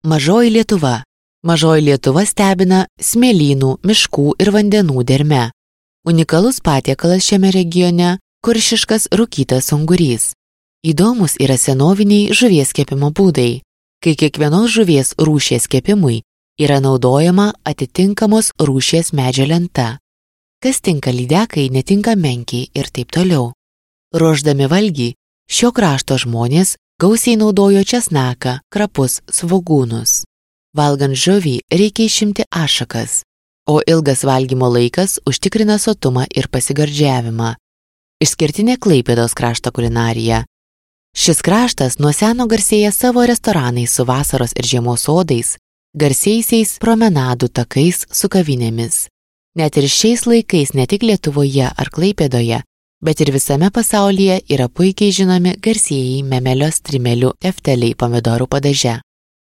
Mažoji Lietuva. Mažoji Lietuva stebina smėlynų, miškų ir vandenų derme. Unikalus patiekalas šiame regione – kuršiškas rūkytas ungurys. Įdomus yra senoviniai žuvies kepimo būdai, kai kiekvienos žuvies rūšies kepimui yra naudojama atitinkamos rūšies medžio lenta. Kas tinka lydekai, netinka menkiai ir taip toliau. Ruošdami valgį, šio krašto žmonės gausiai naudojo česnaką, krapus, svogūnus. Valgant žuvį reikia išimti ašakas, o ilgas valgymo laikas užtikrina sotumą ir pasigardžiavimą. Išskirtinė Klaipėdos krašto kulinarija. Šis kraštas nuo seno garsėja savo restoranais su vasaros ir žiemos sodais, garsiaisiais promenadų takais su kavinėmis. Net ir šiais laikais ne tik Lietuvoje ar Klaipėdoje, bet ir visame pasaulyje yra puikiai žinomi garsieji memelio strimelių tefteliai pomidorų padaže.